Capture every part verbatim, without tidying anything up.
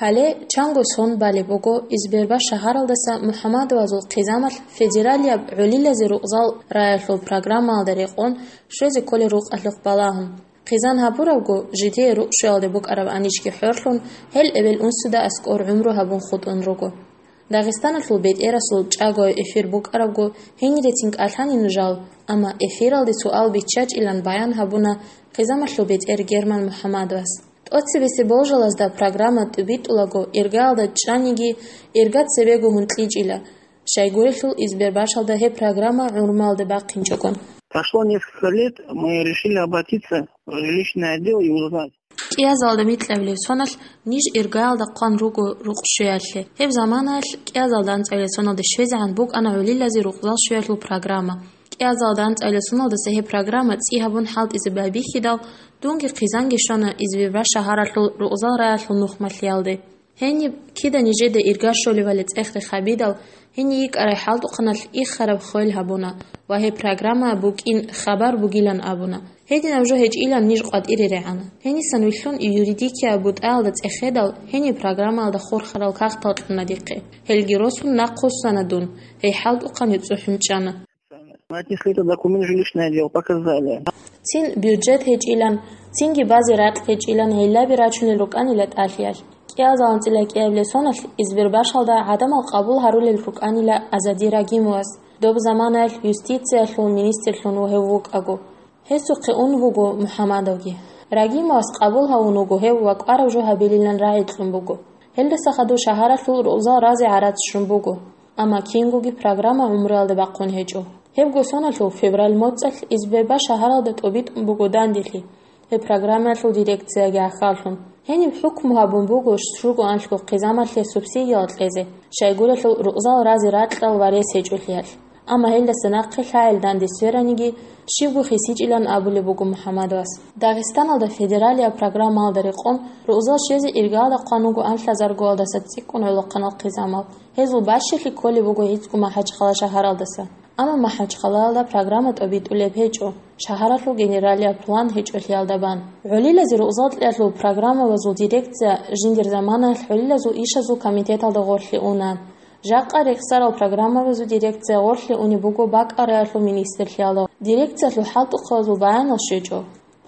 Гьале чанго сон балеб буго Избербаш шагьаралдаса МухӀаммадовазул хъизамалъ федералияб гӀолилазе рукъзал раялъул программаялда рекъон щвезе кколел рукъалъухъ балагьун. Хъизан гьабурабго, жидее рукъ щвеялде букӀараб анищги хӀорлъун, гьел эбел-унсуда аскӀор гӀумру гьабун хутӀун руго. Дагъистаналъул бетӀерасул чӀагояб эфир букӀарабго, гьенирецин кӀалъанин жал, амма эфиралде суал биччачӀилан баян гьабуна хъизамалъул бетӀер Герман МухӀаммадовас. ТӀоцебесеб болжалазда программа тӀубитӀулаго, иргаялда чӀаниги, ирга цебего гьункьичӀила. Щайгурелъул Избербашалда гьеб программа гӀумруялде бахъинчӀогон. Прошло несколько лет, мы решили обратиться в жилищный отдел и узнать. КӀиазалда микьабилеб соналъ ниж иргаялда хъван руго рукъ щвеялъе. Гьеб заманаялъ кӀиазалда анцӀабилеб соналде щвезегӀан букӀана гӀолилазе рукъзал щвеялъул программа. КӀиазалда анцӀабилеб соналдаса гьеб программа цӀи гьабун хӀалтӀизе байбихьидал, дунги хъизанги щвана Избербаш шагьаралъул рукъзал раялъул нухмалъиялде. Гьениб кида нижеда ирга щолебали цӀех-рех гьабидал, гьениб йикӀарай хӀалтӀухъаналъ иххараб хвел гьабуна ва гьеб программа букӀин хабар бугилан абуна. Гьединаб жо гьечӀилан ниж къватӀире регӀана. Гьенисан вилълъун юридикияб бутӀаялда цӀехедал, гьениб программаялда хурхарал кагътал кьуна дихъе. Гьелги росун нахъвуссана дун, гьей хӀалтӀухъан цӀухӀун чӀана. Отнесли этот документ в жилищный отдел, показали. Цин бюджет гьечӀилан, цинги базе ракь гьечӀилан гӀиллаби рачунел рукӀанила тӀалъиялъ. КӀиазал анцӀила кӀиабилеб соналъ Избербашалда гӀадамал къабул гьарулел рукӀанила Азади Рагимовас, доб заманаялъ юстициялъул министрлъун гьев вукӀаго. Гьесухъе ун вуго МухӀаммадовги. Рагимовас къабул гьавун вуго гьев ва кӀвараб жо гьабилилан рагӀи кьун буго. Гьелдаса хадув шагьаралъул рукъзал разе гӀарац щун буго. Амма кингоги программа гӀумруялде бахъун гьечӀо. Гьебго соналъул февраль моцӀалъ Избербаш шагьаралда тӀубитӀун буго данделъи, гьеб программаялъул дирекцияги гӀахьаллъун. Гьениб хӀукму гьабун буго щуго анлъго хъизамалъе субсидиял кьезе, щайгурелъул рукъзал разе ракьал ва рес гьечӀолъиялъ. Амма гьелдаса нахъе лъагӀел данде свераниги, щибго хисичӀилан абулеб буго МухӀаммадовас. Дагъистаналда федералияб программаялда рекъон рукъзал щвезе иргаялда хъван вуго анлъазаргоялдаса цӀикӀкӀун гӀолохъанал хъизамал. Гьезул бащалъи кколеб буго гӀицӀго МахӀачхъала шагьаралдаса. Амма МахӀачхъалаялда программа тӀобитӀулеб гьечӀо, шагьаралъул генералияб план гьечӀолъиялда бан. ГӀолилазе рукъзал кьеялъул программабазул дирекция жиндир заманаялъ гӀолилазул ишазул комитеталда гъорлъе уна. Жакъа рехсарал программабазул дирекция гъорлъе унеб буго бакӀал раялъул министрлъиялда. Дирекциялъул хӀалтӀухъабазул баянал щвечӀо.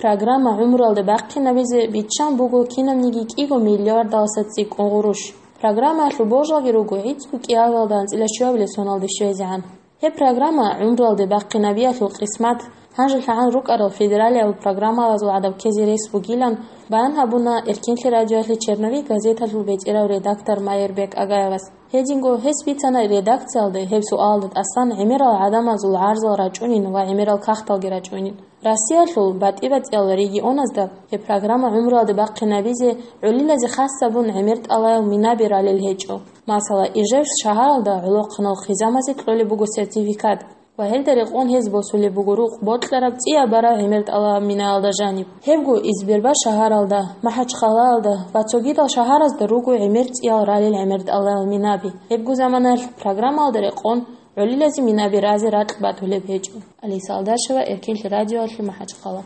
Программа гӀумруялде бахъинабизе биччан буго кинабниги кӀиго миллиардаласа цӀикӀкӀун гъурущ. Программаялъул болжалги руго гӀицӀго кӀиабилда анцӀила щуабилеб соналде щвезегӀан. Гьеб программа гӀумруялде бахъинабиялъул къисмат гьанжелъагӀан рукӀарал федералияб программабазул гӀадаб ккезе рес бугилан баян гьабуна Эркенлъи радиоялъе «Черновик» газеталъул бетӀерав редактор Майербек Агаевас. Гьединго гьес бицана редакциялда гьеб суалалда тӀасан гӀемерал гӀадамазул гӀарзал рачӀунин ва гӀемерал кагъталги рачӀунин. Россиялъул батӀи-батӀиял регионазда гьеб программа гӀумруялде бахъинабизе гӀолилазе хас гьабун гӀемер тӀалаял минаби ралел гьечӀо. Масала, Ижевск шагьаралда гӀолохъанал хъизамазе кьолеб буго сертификат ва гьелда рекъон гьез босулеб буго рукъ бокьараб цӀияб бараб гӀемер тӀалаб минаялда жаниб. Гьебго Избербаш шагьаралда, МахӀачхъалаялда ва цогидал шагьаразда руго гӀемер цӀиял ралел гӀемер тӀалаял минаби. Гьебго заманаялъ программаялда рекъон гӀолилазе минаби разе ракь батулеб гьечӀо. Алиса Алдашева, Эркенлъи радиоялъе, МахӀачхъала.